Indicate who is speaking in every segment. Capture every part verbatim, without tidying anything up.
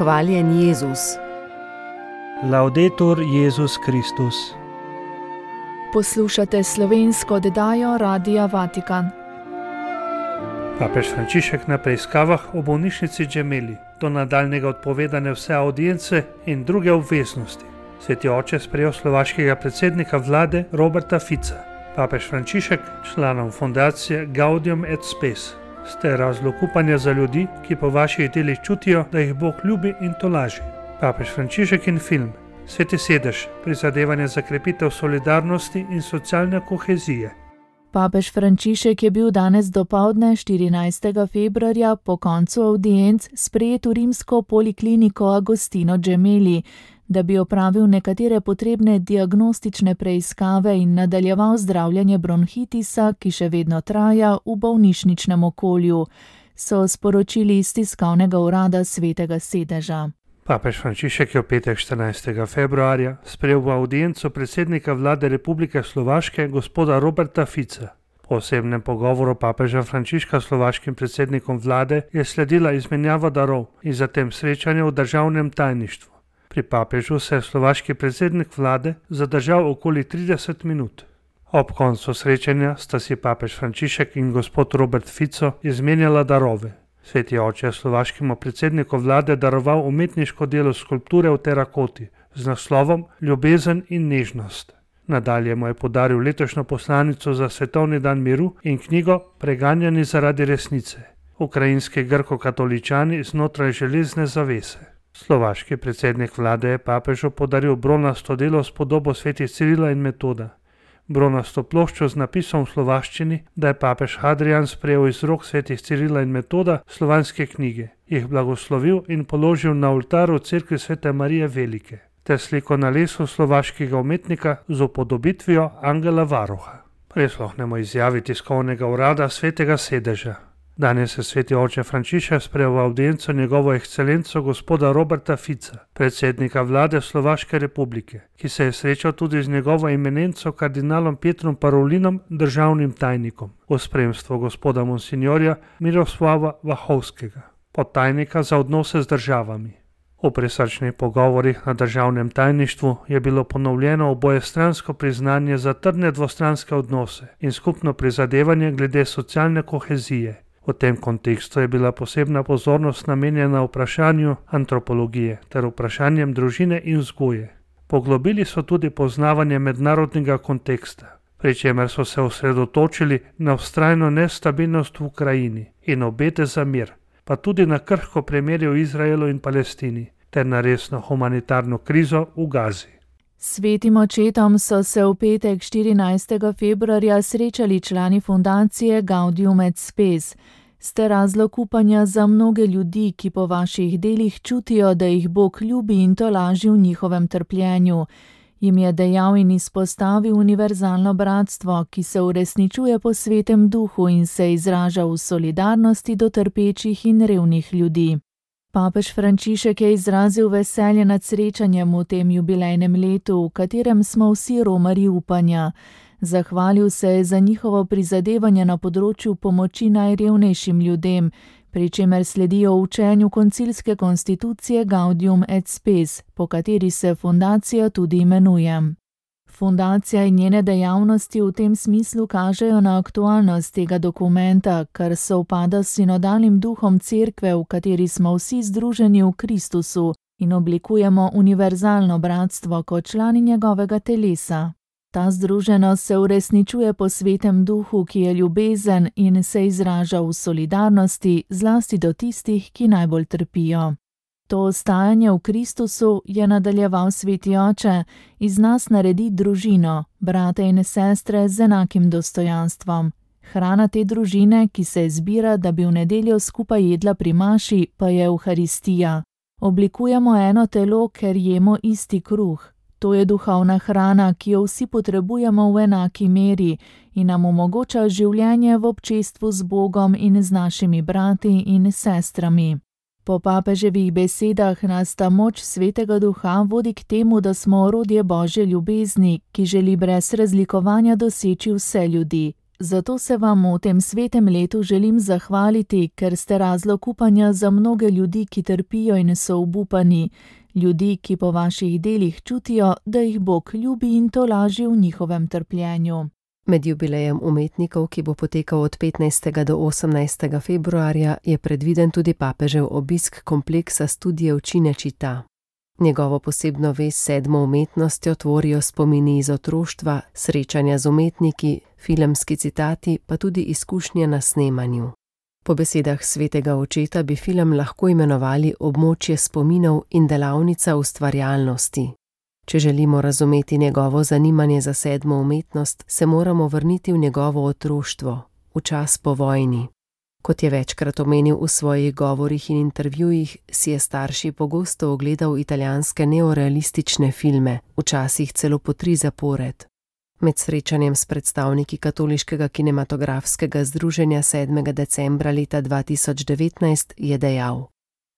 Speaker 1: Hvaljen Jezus.
Speaker 2: Laudetur Jezus Kristus.
Speaker 3: Poslušate slovensko oddajo Radia Vatikan.
Speaker 2: Papež Frančišek na preiskavah v bolnišnici Gemelli, do nadaljnjega odpovedane vse audience in druge obveznosti. Sveti oče sprejel slovaškega predsednika vlade Roberta Fica. Papež Frančišek članom fundacije Gaudium et Spes. Ste razlog upanja za ljudi, ki po vaših delih čutijo, da jih Bog ljubi in tolaži. Papež Frančišek in film Sveti sedež, prizadevanje za krepitev solidarnosti in socialne kohezije.
Speaker 3: Papež Frančišek je bil danes dopoldne štirinajstega februarja po koncu audienc sprejet v rimsko polikliniko Agostino Gemelli, da bi opravil nekatere potrebne diagnostične preiskave in nadaljeval zdravljenje bronhitisa, ki še vedno traja v bolnišničnem okolju, so sporočili iz tiskovnega urada Svetega sedeža.
Speaker 2: Papež Frančišek je v petek štirinajstega februarja sprejel v audienco predsednika vlade Republike Slovaške gospoda Roberta Fica. Po osebnem pogovoru papeža Frančiška s slovaškim predsednikom vlade je sledila izmenjava darov in zatem srečanje v državnem tajništvu. Pri papežu se je slovaški predsednik vlade zadržal okoli trideset minut. Ob koncu srečanja sta si papež Frančišek in gospod Robert Fico izmenjala darove. Sveti oče je slovaškemu predsedniku vlade daroval umetniško delo skulpture v terakoti z naslovom Ljubezen in nežnost. Nadalje mu je podaril letošnjo poslanico za svetovni dan miru in knjigo Preganjani zaradi resnice. Ukrajinski grko-katoličani znotraj železne zavese. Slovaški predsednik vlade je papežu podaril bronasto delo s podobo svetih Cirila in Metoda. Bronasto ploščo z napisom v slovaščini, da je papež Hadrian sprejel iz rok svetih Cirila in Metoda slovanske knjige, jih blagoslovil in položil na oltar v cerkvi Svete Marije Velike, ter sliko na lesu slovaškega umetnika z upodobitvijo angela varuha. Prisluhnemo izjavi tiskovnega urada Svetega sedeža. Danes je sveti oče Frančišek sprejel v audienco njegovo ekscelenco gospoda Roberta Fica, predsednika vlade Slovaške republike, ki se je srečal tudi z njegovo eminenco kardinalom Pietrom Parolinom, državnim tajnikom, v spremstvu gospoda monsignorja Miroslava Vahovskega, podtajnika za odnose z državami. V prisrčnih pogovorih na državnem tajništvu je bilo ponovljeno obojestransko priznanje za trdne dvostranske odnose in skupno prizadevanje glede socialne kohezije. V tem kontekstu je bila posebna pozornost namenjena vprašanju antropologije ter vprašanjem družine in vzgoje. Poglobili so tudi poznavanje mednarodnega konteksta, pri čemer so se osredotočili na vztrajno nestabilnost v Ukrajini in obete za mir, pa tudi na krhko premirje v Izraelu in Palestini ter na resno humanitarno krizo v Gazi.
Speaker 3: Svetim očetom so se v petek štirinajstega februarja srečali člani fundacije Gaudium et Spes. Ste razlog upanja za mnoge ljudi, ki po vaših delih čutijo, da jih Bog ljubi in tolaži v njihovem trpljenju. Jim je dejal in izpostavil univerzalno bratstvo, ki se uresničuje po svetem duhu in se izraža v solidarnosti do trpečih in revnih ljudi. Papež Frančišek je izrazil veselje nad srečanjem v tem jubilejnem letu, v katerem smo vsi romarji upanja. Zahvalil se je za njihovo prizadevanje na področju pomoči najrevnejšim ljudem, pri čemer sledijo učenju koncilske konstitucije Gaudium et Spes, po kateri se fundacija tudi imenuje. Fundacija in njene dejavnosti v tem smislu kažejo na aktualnost tega dokumenta, kar sovpada s sinodalnim duhom cerkve, v kateri smo vsi združeni v Kristusu in oblikujemo univerzalno bratstvo kot člani njegovega telesa. Ta združenost se uresničuje po svetem duhu, ki je ljubezen in se izraža v solidarnosti, zlasti do tistih, ki najbolj trpijo. To ostajanje v Kristusu, je nadaljeval sveti oče, iz nas naredi družino, brate in sestre z enakim dostojanstvom. Hrana te družine, ki se zbira, da bi v nedeljo skupaj jedla pri maši, pa je Evharistija. Oblikujemo eno telo, ker jemo isti kruh. To je duhovna hrana, ki jo vsi potrebujemo v enaki meri in nam omogoča življenje v občestvu z Bogom in z našimi brati in sestrami. Po papeževih besedah nas ta moč svetega duha vodi k temu, da smo orodje Božje ljubezni, ki želi brez razlikovanja doseči vse ljudi. Zato se vam v tem svetem letu želim zahvaliti, ker ste razlog upanja za mnoge ljudi, ki trpijo in so obupani, ljudi, ki po vaših delih čutijo, da jih Bog ljubi in tolaži v njihovem trpljenju.
Speaker 1: Med jubilejem umetnikov, ki bo potekal od petnajstega do osemnajstega februarja, je predviden tudi papežev obisk kompleksa Studio Cinecittà. Njegovo posebno vez s sedmo umetnostjo tvorijo spomini iz otroštva, srečanja z umetniki, filmski citati, pa tudi izkušnje na snemanju. Po besedah svetega očeta bi film lahko imenovali območje spominov in delavnica ustvarjalnosti. Če želimo razumeti njegovo zanimanje za sedmo umetnost, se moramo vrniti v njegovo otroštvo, v čas po vojni. Kot je večkrat omenil v svojih govorih in intervjujih, si je starši pogosto ogledal italijanske neorealistične filme, včasih celo po tri zapored. Med srečanjem s predstavniki Katoliškega kinematografskega združenja sedmega decembra leta dva tisoč devetnajst je dejal: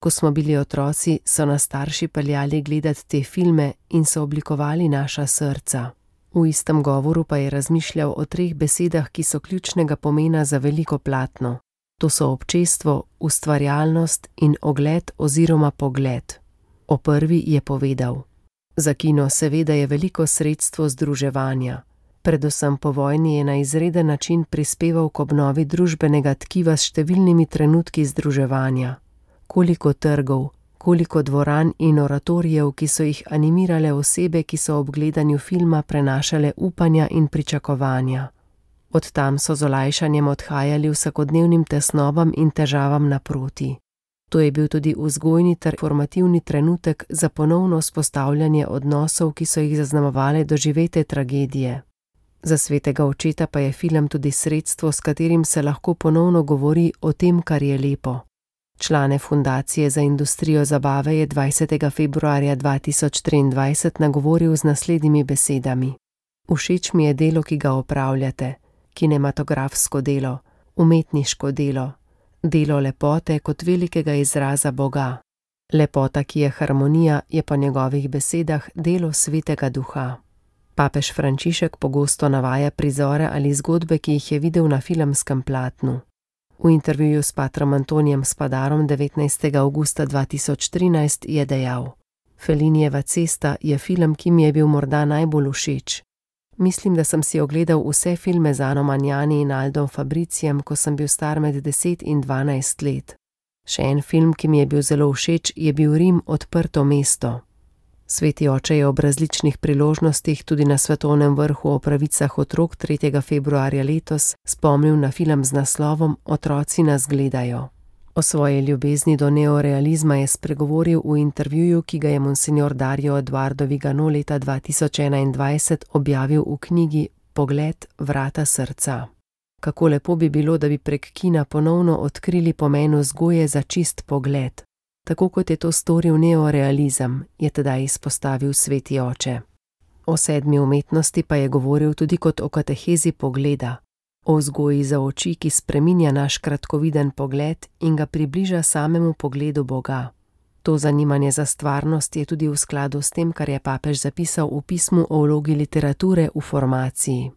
Speaker 1: Ko smo bili otroci, so nas starši peljali gledati te filme in so oblikovali naša srca. V istem govoru pa je razmišljal o treh besedah, ki so ključnega pomena za veliko platno. To so občestvo, ustvarjalnost in ogled oziroma pogled. O prvi je povedal: Za kino seveda je veliko sredstvo združevanja. Predvsem po vojni je na izreden način prispeval k obnovi družbenega tkiva s številnimi trenutki združevanja. Koliko trgov, koliko dvoran in oratorijev, ki so jih animirale osebe, ki so ob gledanju filma prenašale upanja in pričakovanja. Od tam so z olajšanjem odhajali vsakodnevnim tesnobam in težavam naproti. To je bil tudi vzgojni ter formativni trenutek za ponovno vzpostavljanje odnosov, ki so jih zaznamovale doživete tragedije. Za svetega očeta pa je film tudi sredstvo, s katerim se lahko ponovno govori o tem, kar je lepo. Člane Fundacije za industrijo zabave je dvajsetega februarja dva tisoč triindvajset nagovoril z naslednjimi besedami: Všeč mi je delo, ki ga opravljate, kinematografsko delo, umetniško delo, delo lepote kot velikega izraza Boga. Lepota, ki je harmonija, je po njegovih besedah delo svetega duha. Papež Frančišek pogosto navaja prizore ali zgodbe, ki jih je videl na filmskem platnu. V intervjuju s patrom Antonijem Spadarom devetnajstega avgusta dva tisoč trinajst je dejal: Fellinijeva cesta je film, ki mi je bil morda najbolj všeč. Mislim, da sem si ogledal vse filme z Ano Magnani in Aldom Fabricijem, ko sem bil star med deset in dvanajst let. Še en film, ki mi je bil zelo všeč, je bil Rim, odprto mesto. Sveti oče je ob različnih priložnostih, tudi na svetovnem vrhu o pravicah otrok tretjega februarja letos, spomnil na film z naslovom Otroci nas gledajo. O svoji ljubezni do neorealizma je spregovoril v intervjuju, ki ga je monsignor Dario Eduardo Vigano leta dva tisoč enaindvajset objavil v knjigi Pogled, vrata srca. Kako lepo bi bilo, da bi prek kina ponovno odkrili pomen vzgoje za čist pogled. Tako kot je to storil neorealizem, je tedaj izpostavil sveti oče. O sedmi umetnosti pa je govoril tudi kot o katehezi pogleda, o vzgoji za oči, ki spreminja naš kratkoviden pogled in ga približa samemu pogledu Boga. To zanimanje za stvarnost je tudi v skladu s tem, kar je papež zapisal v pismu o vlogi literature v formaciji.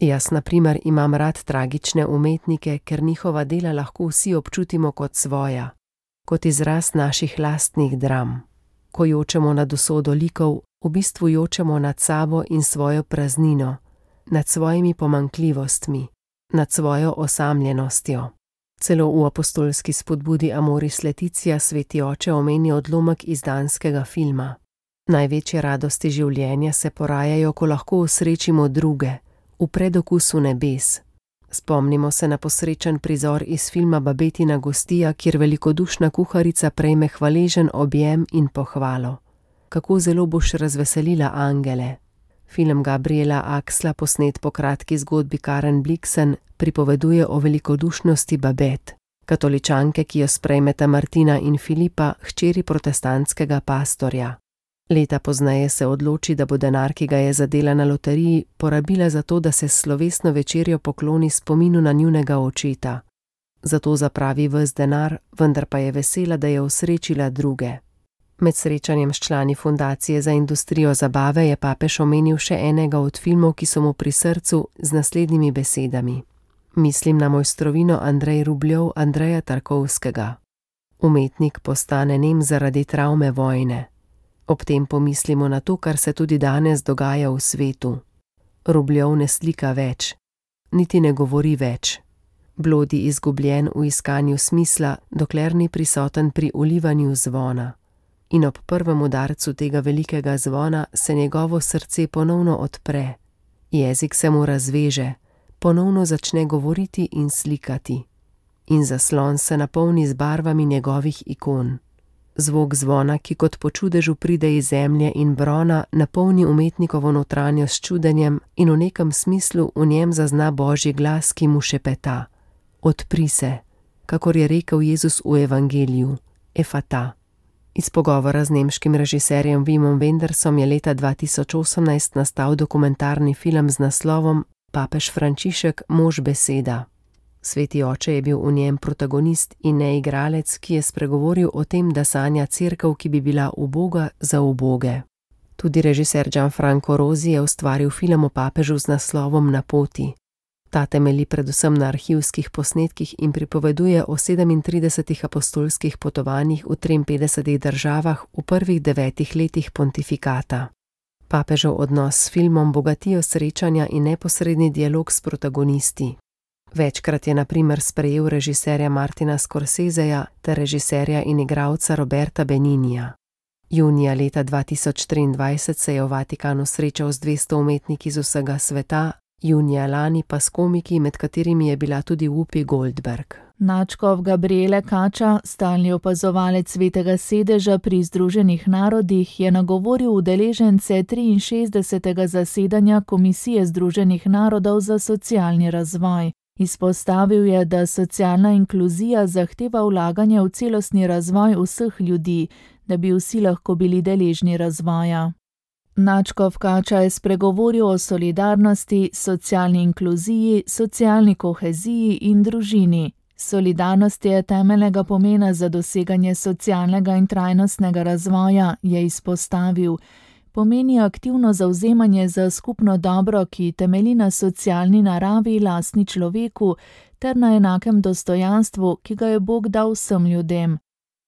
Speaker 1: Jaz, na primer, imam rad tragične umetnike, ker njihova dela lahko vsi občutimo kot svoja, kot izraz naših lastnih dram. Ko jočemo nad usodo likov, v bistvu jočemo nad sabo in svojo praznino, nad svojimi pomanjkljivostmi, nad svojo osamljenostjo. Celo v apostolski spodbudi Amoris Laetitia sveti oče omeni odlomek iz danskega filma. Največje radosti življenja se porajajo, ko lahko osrečimo druge, v predokusu nebes. Spomnimo se na posrečen prizor iz filma Babetina gostija, kjer velikodušna kuharica prejme hvaležen objem in pohvalo. Kako zelo boš razveselila angele. Film Gabriela Axla, posnet po kratki zgodbi Karen Blixen, pripoveduje o velikodušnosti Babet, katoličanke, ki jo sprejmeta Martina in Filipa, hčeri protestantskega pastorja. Leta pozneje se odloči, da bo denar, ki ga je zadela na loteriji, porabila za to, da se s slovesno večerjo pokloni spominu na njunega očeta. Zato zapravi ves denar, vendar pa je vesela, da je osrečila druge. Med srečanjem s člani Fundacije za industrijo zabave je papež omenil še enega od filmov, ki so mu pri srcu, z naslednjimi besedami. Mislim na mojstrovino Andrej Rubljov Andreja Tarkovskega. Umetnik postane nem zaradi travme vojne. Ob tem pomislimo na to, kar se tudi danes dogaja v svetu. Rubljov ne slika več, niti ne govori več. Blodi izgubljen v iskanju smisla, dokler ni prisoten pri ulivanju zvona. In ob prvem udarcu tega velikega zvona se njegovo srce ponovno odpre. Jezik se mu razveže, ponovno začne govoriti in slikati. In zaslon se napolni z barvami njegovih ikon. Zvok zvona, ki kot po čudežu pride iz zemlje in brona, napolni umetnikovo notranjost s čudenjem in v nekem smislu v njem zazna Božji glas, ki mu šepeta: Odpri se, kakor je rekel Jezus v evangeliju, efata. Iz pogovora z nemškim režiserjem Wimom Wendersom je leta dva tisoč osemnajst nastal dokumentarni film z naslovom Papež Frančišek, mož beseda. Sveti oče je bil v njem protagonist in ne igralec, ki je spregovoril o tem, da sanja cerkev, ki bi bila uboga za uboge. Tudi režiser Gianfranco Rosi je ustvaril film o papežu z naslovom Na poti. Ta temelji predvsem na arhivskih posnetkih in pripoveduje o sedemintridesetih apostolskih potovanjih v triinpetdesetih državah v prvih devetih letih pontifikata. Papežev odnos s filmom bogatijo srečanja in neposredni dialog s protagonisti. Večkrat je na primer sprejel režiserja Martina Scorseseja ter režiserja in igralca Roberta Beninija. Junija leta dva tisoč triindvajset se je v Vatikanu srečal z dvesto umetniki z vsega sveta, junija lani pa s komiki, med katerimi je bila tudi Whoopi Goldberg.
Speaker 3: Nadškof Gabriele Kača, stalni opazovalec Svetega sedeža pri Združenih narodih, je nagovoril udeležence triinšestdesetega zasedanja Komisije Združenih narodov za socialni razvoj. Izpostavil je, da socialna inkluzija zahteva vlaganje v celostni razvoj vseh ljudi, da bi vsi lahko bili deležni razvoja. Nadškof Kača je spregovoril o solidarnosti, socialni inkluziji, socialni koheziji in družini. Solidarnost je temeljnega pomena za doseganje socialnega in trajnostnega razvoja, je izpostavil. Pomeni aktivno zavzemanje za skupno dobro, ki temelji na socialni naravi lastni človeku ter na enakem dostojanstvu, ki ga je Bog dal vsem ljudem.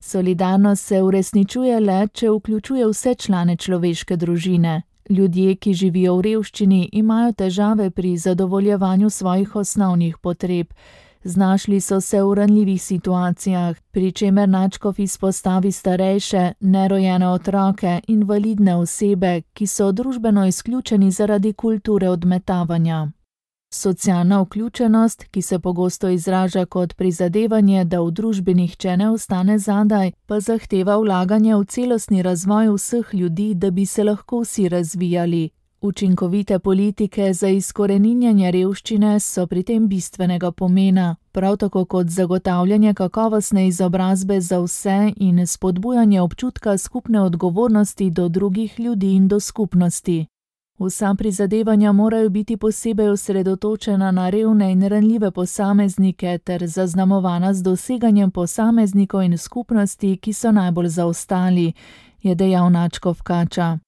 Speaker 3: Solidarnost se uresničuje le, če vključuje vse člane človeške družine. Ljudje, ki živijo v revščini, imajo težave pri zadovoljevanju svojih osnovnih potreb. Znašli so se v ranljivih situacijah, pri čemer nadškof izpostavi starejše, nerojene otroke, invalidne osebe, ki so družbeno izključeni zaradi kulture odmetavanja. Socialna vključenost, ki se pogosto izraža kot prizadevanje, da v družbi nihče ne ostane zadaj, pa zahteva vlaganje v celostni razvoj vseh ljudi, da bi se lahko vsi razvijali. Učinkovite politike za izkoreninjanje revščine so pri tem bistvenega pomena, prav tako kot zagotavljanje kakovostne izobrazbe za vse in spodbujanje občutka skupne odgovornosti do drugih ljudi in do skupnosti. Vsa prizadevanja morajo biti posebej osredotočena na revne in ranljive posameznike ter zaznamovana z doseganjem posameznikov in skupnosti, ki so najbolj zaostali, je dejal nadškof Kača.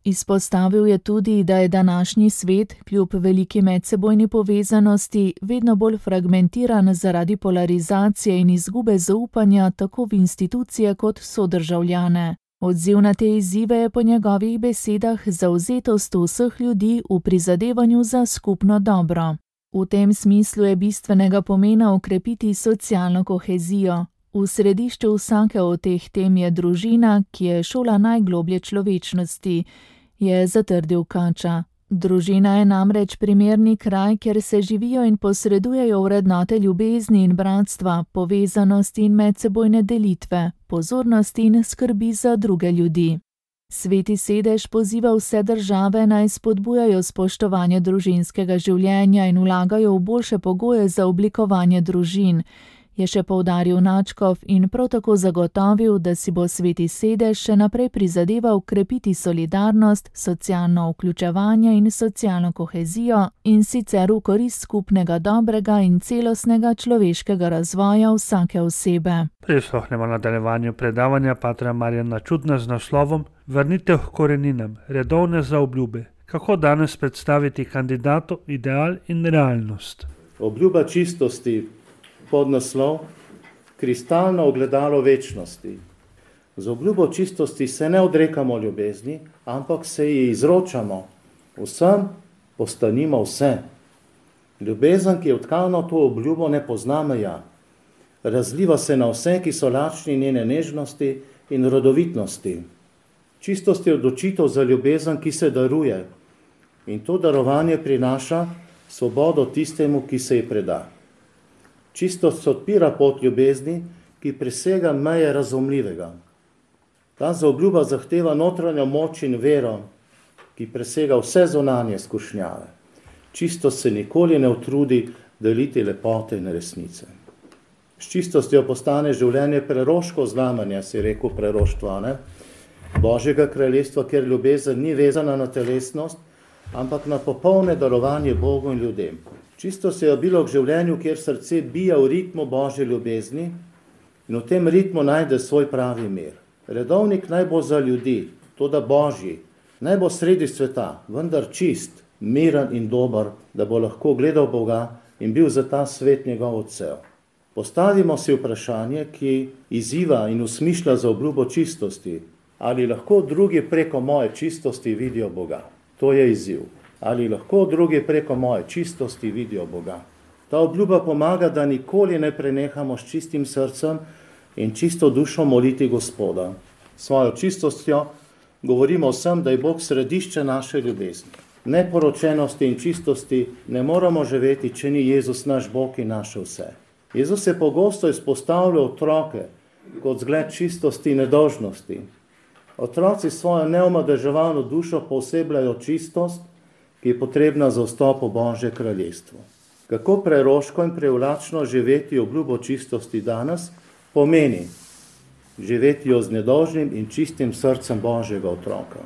Speaker 3: Izpostavil je tudi, da je današnji svet, kljub veliki medsebojni povezanosti, vedno bolj fragmentiran zaradi polarizacije in izgube zaupanja tako v institucije kot sodržavljane. Odziv na te izzive je po njegovih besedah zavzetost vseh ljudi v prizadevanju za skupno dobro. V tem smislu je bistvenega pomena okrepiti socialno kohezijo. V središču vsake od teh tem je družina, ki je šola najgloblje človečnosti, je zatrdil Kača. Družina je namreč primerni kraj, kjer se živijo in posredujejo vrednote ljubezni in bratstva, povezanosti in medsebojne delitve, pozornosti in skrbi za druge ljudi. Sveti sedež poziva vse države naj spodbujajo spoštovanje družinskega življenja in vlagajo v boljše pogoje za oblikovanje družin, je še poudaril nadškof in prav tako zagotovil, da si bo Sveti sedež še naprej prizadeval krepiti solidarnost, socialno vključevanje in socialno kohezijo in sicer v korist skupnega dobrega in celostnega človeškega razvoja vsake osebe.
Speaker 2: Prisluhnemo nadaljevanju predavanja patra Marjana Čudna z naslovom Vrnitev k koreninam, redovne zaobljube. Kako danes predstaviti kandidatu ideal in realnost?
Speaker 4: Obljuba čistosti, podnaslov, kristalno ogledalo večnosti. Z obljubo čistosti se ne odrekamo ljubezni, ampak se ji izročamo. Vsem postanimo vse. Ljubezen, ki je vtkana v to obljubo, ne pozna meja. Razliva se na vse, ki so lačni njene nežnosti in rodovitnosti. Čistost je odločitev za ljubezen, ki se daruje. In to darovanje prinaša svobodo tistemu, ki se ji preda. Čistost odpira pot ljubezni, ki presega meje razumljivega. Ta zaobljuba zahteva notranjo moč in vero, ki presega vse zunanje skušnjave. Čistost se nikoli ne utrudi deliti lepote in resnice. S čistostjo postane življenje preroško znamenje, si rekel preroštva, ne? Božjega kraljestva, kjer ljubezen ni vezana na telesnost, ampak na popolne darovanje Bogu in ljudem. Čistost je obilo k življenju, kjer srce bija v ritmu Božje ljubezni in v tem ritmu najde svoj pravi mir. Redovnik naj bo za ljudi, toda Božji, naj bo sredi sveta, vendar čist, miren in dober, da bo lahko gledal Boga in bil za ta svet njegov odsev. Postavimo si vprašanje, ki izziva in usmišlja za obljubo čistosti. Ali lahko drugi preko moje čistosti vidijo Boga? To je izziv. Ali lahko drugi preko moje čistosti vidijo Boga? Ta obljuba pomaga, da nikoli ne prenehamo s čistim srcem in čisto dušo moliti Gospoda. Svojo čistostjo govorimo vsem, da je Bog središče naše ljubezni. Neporočenosti in čistosti ne moramo živeti, če ni Jezus naš Bog in naše vse. Jezus je pogosto izpostavljal otroke kot zgled čistosti in nedolžnosti. Otroci svojo neomadeževano dušo poosebljajo čistost, ki je potrebna za vstop v Božje kraljestvo. Kako preroško in privlačno živeti obljubo čistosti danes pomeni živeti jo z nedolžnim in čistim srcem Božjega otroka.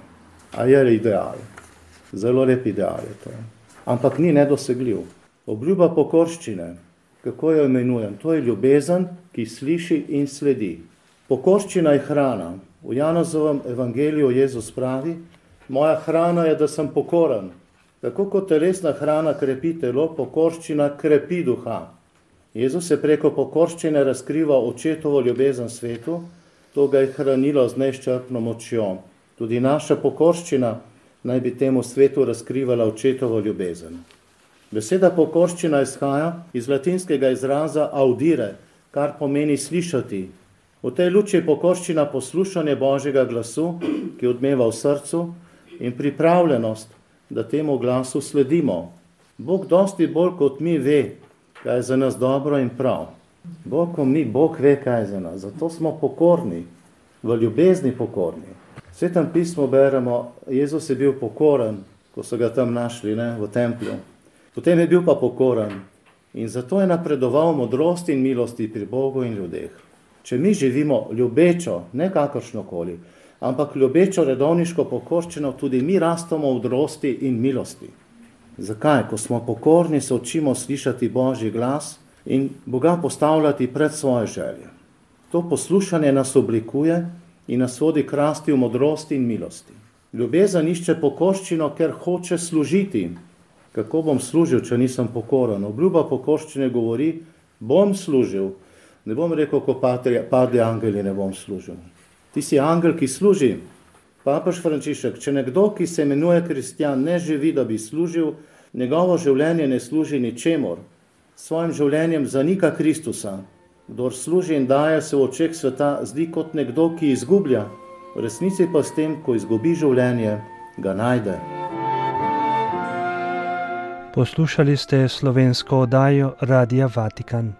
Speaker 4: A je ideal. Zelo lep ideal je to. Ampak ni nedosegljiv. Obljuba pokorščine, kako jo imenujem, to je ljubezen, ki sliši in sledi. Pokorščina je hrana. V Janezovem evangeliju Jezus pravi, moja hrana je, da sem pokoren. Tako kot telesna hrana krepi telo, pokorščina krepi duha. Jezus je preko pokorščine razkrival očetovo ljubezen svetu, to ga je hranilo z neizčrpno močjo. Tudi naša pokorščina naj bi temu svetu razkrivala očetovo ljubezen. Beseda pokorščina izhaja iz latinskega izraza audire, kar pomeni slišati. V tej luči je pokorščina poslušanje Božjega glasu, ki odmeva v srcu, in pripravljenost, da temu glasu sledimo. Bog dosti bolj kot mi ve, kaj je za nas dobro in prav. Bog, ko mi, Bog ve, kaj je za nas. Zato smo pokorni, v ljubezni pokorni. V Svetem pismu beremo, Jezus je bil pokoren, ko so ga tam našli, ne, v templju. Potem je bil pa pokoren in zato je napredoval modrosti in milosti pri Bogu in ljudeh. Če mi živimo ljubečo, ne kakršnokoli, ampak ljubečo redovniško pokorščino, tudi mi rastemo v modrosti in milosti. Zakaj? Ko smo pokorni, se učimo slišati Božji glas in Boga postavljati pred svoje želje. To poslušanje nas oblikuje in nas vodi k rasti v modrosti in milosti. Ljubezen išče pokorščino, ker hoče služiti. Kako bom služil, če nisem pokoren? Obljuba pokorščine govori, bom služil. Ne bom rekel, ko padli angeli, ne bom služil. Ti si angel, ki služi. Papež Frančišek, če nekdo, ki se imenuje kristjan, ne živi, da bi služil, njegovo življenje ne služi ničemur. S svojim življenjem zanika Kristusa. Kdor služi in daje, se v očeh sveta zdi kot nekdo, ki izgublja. V resnici pa s tem, ko izgubi življenje, ga najde.
Speaker 2: Poslušali ste slovensko oddajo Radia Vatikan.